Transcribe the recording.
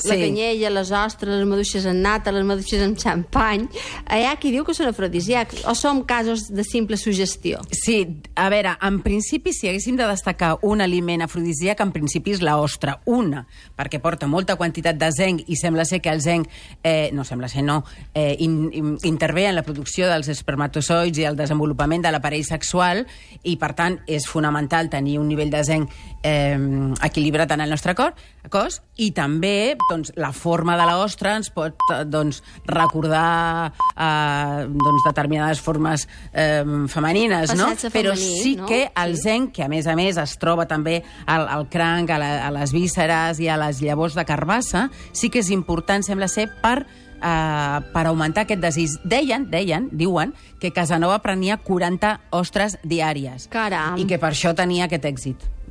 La canyella, les ostres, les maduixes en nata, les maduixes amb xampany, hi ha qui diu que són afrodisíacs, o són casos de simple suggestió? Sí, a veure, en principi, si haguéssim de destacar un aliment afrodisíac, en principi és l'ostra. Una, perquè porta molta quantitat de zinc i sembla ser que el zinc, intervé en la producció dels espermatozoids i el desenvolupament de l'aparell sexual i, per tant, és fonamental tenir un nivell de zinc equilibrat en el nostre cos i també la forma de l'ostra ens pot recordar determinades formes femenines, no? Però sí que el zinc, que a més es troba també al cranc, a les vísceres i a les llavors de carbassa, sí que és important, sembla ser, per augmentar aquest desig. Diuen que Casanova prenia 40 ostres diàries. Caram! I que per això tenia aquest èxit.